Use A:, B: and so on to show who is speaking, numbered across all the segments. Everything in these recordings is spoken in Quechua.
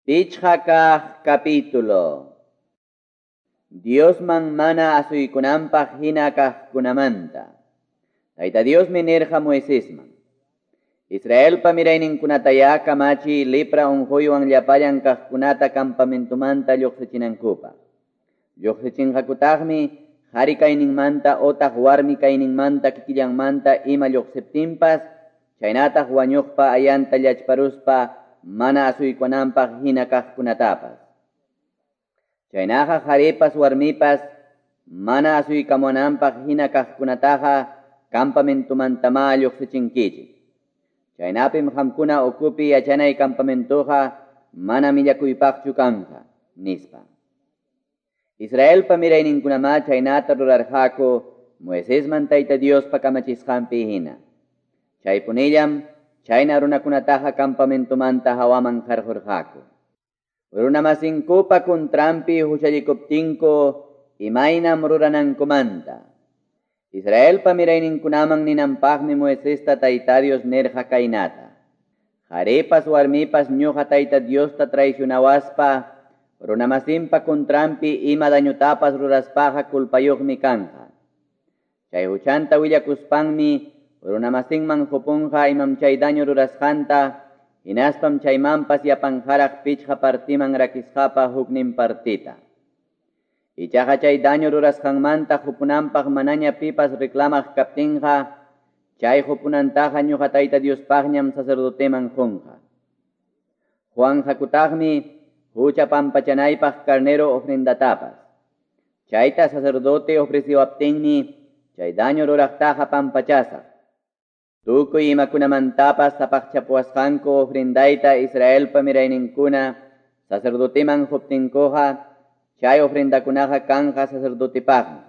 A: Pichqa kaq capítulo. Diosman mana asuykunanpaq hina kaqkunamanta. Tayta Diosmi nirqa Moisesman: Israelpa mirayninkunatayá kamachiy lepra unquywan llapallan kaqkunata campamentomanta lluqsichinankupaq. Lluqsichinqakutaqmi qhari kayninmanta otaq warmi kayninmanta kikillanmanta ima lluqsiptinpas, chaynataq wañuqpa ayanta llachparuspa mana asuykunanpaq hina kaqkunatapas. Chaynaqa qharipas warmipas mana asuykamunanpaq hina kaqkunataqa campamentomantamá lluqsichinkichik. Chaynapim qamkuna ukupi yachanay campamentoqa mana millakuypaqchu kanqa, nispa. Israelpa mirayninkunamá chaynata rurarqaku Moisesman Tayta Diospa kamachisqanpi hina. Chaypunillam chayna runakunataqa campamentomanta hawaman qarqurqaku. Runamasinkupa kuntranpi huchallikuptinku imaynam ruranankumanta. Israelpa mirayninkunaman ninanpaqmi Moisesta Tayta Dios nirqa kaynata: Qharipas warmipas ñuqa Tayta Diosta traicionawaspa runamasinpa kuntranpi ima dañotapas ruraspaqa culpayuqmi kanqa. Chay huchanta willakuspanmi runamasinman qupunqa imam chay daño rurasqanta, hinaspam chaymanpas yapanqaraq pichqa partiman rakisqapa huknin partita. Ichaqa chay daño rurasqanmanta qupunanpaq manaña pipas reclamaq kaptinqa, chay qupunantaqa ñuqa Tayta Diospaqñam sacerdoteman qunqa. Quwanqakutaqmi hucha pampachanaypaq carnero ofrendatapas. Chayta sacerdote ofreciwaptinmi chay daño ruraqtaqa pampachasaq. Tukuy imakunamantapas sapaqchapuwasqanku ofrendayta Israelpa mirayninkuna sacerdoteman quptinkuqa, chay ofrendakunaqa kanqa sacerdotepaqmi.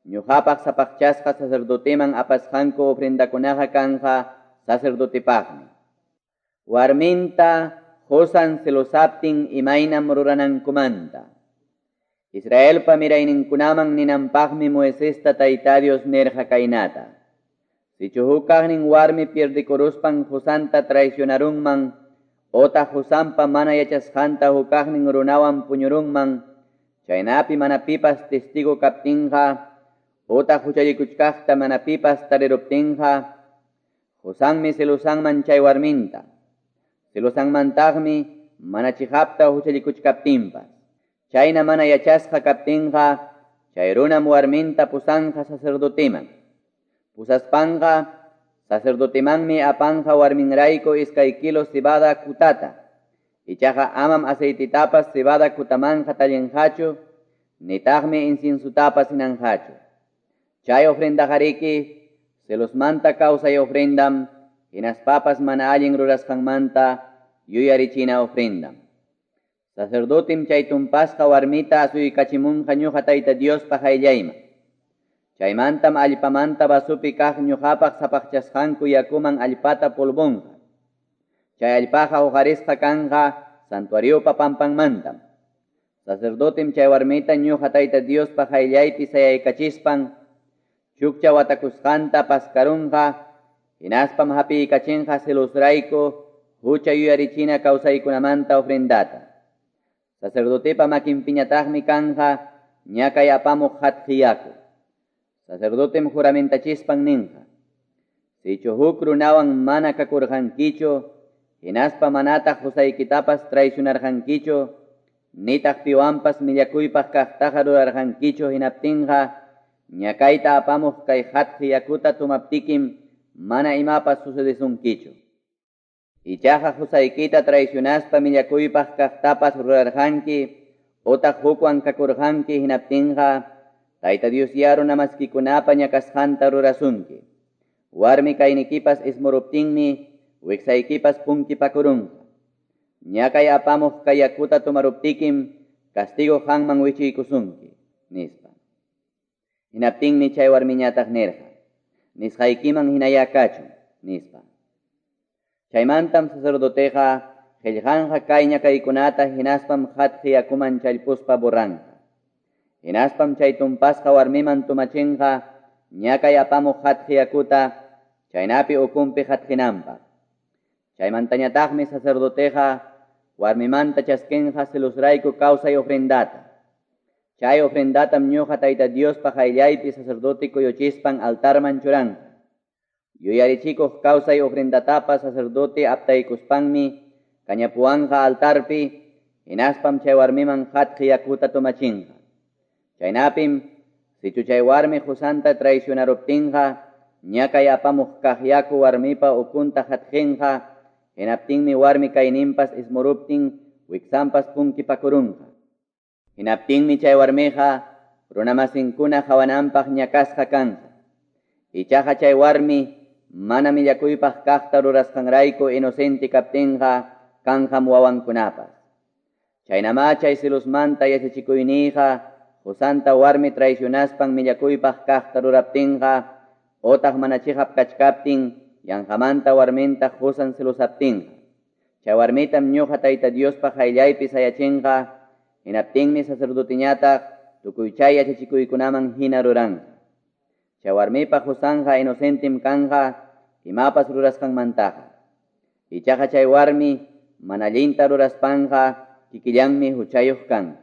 A: Ñuqapaq sapaqchasqa sacerdoteman apasqanku ofrendakunaqa kanqa sacerdotepaqmi. Warminta qusan celosaptin imaynam ruranankumanta. Israelpa mirayninkunaman ninanpaqmi Moisesta Tayta Dios nirqa kaynata: Sichu huk kaqnin warmi pierdikuruspan qusanta traicionarunman, otaq qusanpa mana yachasqanta huk kaqnin runawan puñurunman, chaynapi mana pipas testigo kaptinqa, otaq huchallikuchkaqta mana pipas tariruptinqa, qusanmi celosanman chay warminta, celosanmantaqmi mana chiqapta huchallikuchkaptinpas. Chayna mana yachasqa kaptinqa, chay runam warminta pusanqa sacerdoteman. Pusaspanqa sacerdotemanmi apanqa warminrayku 2 kilos cebada kutata. Ichaqa amam aceititapas cebada kutamanqa tallinqachu, nitaqmi inciensutapas hinanqachu. Chay ofrendaqariki celosmanta kawsay ofrendam, hinaspapas mana allin rurasqanmanta yuyarichina ofrendam. Sacerdotem chay tumpasqa warmita asuykachimunqa ñuqa Tayta Diospa qayllayman. Chaymantam allpamanta vasupi kaq ñuqapaq sapaqchasqanku yakuman allpata polvonqa. Chay allpaqa huqarisqa kanqa santuariopa pampanmantam. Sacerdotem chay warmita ñuqa Tayta Diospa qayllaypi sayaykachispan chukcha watakusqanta paskarunqa, hinaspam hapiykachinqa celosrayku hucha yuyarichina kawsaykunamanta ofrendata. Sacerdotepa makinpiñataqmi kanqa ñakay apamuq hatqi yaku. Sacerdotem juramentachispan ninqa: Sichu huk runawan mana kakurqankichu, hinaspa manataq qusaykitapas traicionarqankichu, nitaq piwanpas millakuypaq kaqtaqa rurarqankichu, hinaptinqa ñakayta apamuq kay hatqi yakuta tumaptikim mana imapas sucedesunkichu. Ichaqa qusaykita traicionaspa millakuypaq kaqtapas rurarqanki, otaq hukwan kakurqanki, hinaptinqa Tayta Dios ya runamaskikunapa ñakasqanta rurasunki. Warmi kaynikipas ismuruptinmi wiksaykipas punkipakurunqa. Ñakay apamuq kay yakuta tumaruptikim castigo qanman wichiykusunki, nispa. Hinaptinmi chay warmiñataq nirqa: Nisqaykiman hinayá kachun, nispa. Chaymantam sacerdoteqa qillqanqa kay ñakaykunata, hinaspam hatqi yakuman challpuspa borranqa. Hinaspam chay tumpasqa warmiman tumachinqa ñakay apamuq hatqi yakuta, chaynapi ukunpi hatqinanpaq. Chaymantañataqmi sacerdoteqa warmimanta chaskinqa celosrayku kawsay ofrendata. Chay ofrendatam ñuqa Tayta Diospa qayllaypi sacerdote kuyuchispan altarman churanqa. Yuyarichikuq kawsay ofrendatapas sacerdote aptaykuspanmi kañapuwanqa altarpi, hinaspam chay warmiman qatqi yakuta tomachinqa. Chaynapim, sichu chay warmi qusanta traicionaruptinqa, ñakay apamuq kaq yaku warmipa ukunta qatqinqa, hinaptinmi warmi kayninpas ismuruptin wiksanpas punkipakurunqa. Hinaptinmi chay warmiqa runamasinkuna qawananpaq ñakasqa kanqa. Ichaqa chay warmi mana millakuypaq kaqta rurasqanrayku inocente kaptinqa kanqam wawankunapas. Chaynamá chay celosmanta yachachikuyniyqa qusanta warmi traicionaspan millakuypaq kaqta ruraptinqa otaq mana chiqap kachkaptin yanqamanta warminta qusan celosaptinqa. Chay warmitam ñuqa Tayta Diospa qayllaypi sayachinqa, hinaptinmi sacerdoteñataq tukuy chay yachachikuykunaman hina ruranqa. Chay warmipa qusanqa inocentem kanqa imapas rurasqanmantaqa. Ichaqa chay warmi mana allinta ruraspanqa kikillanmi huchayuq kanqa.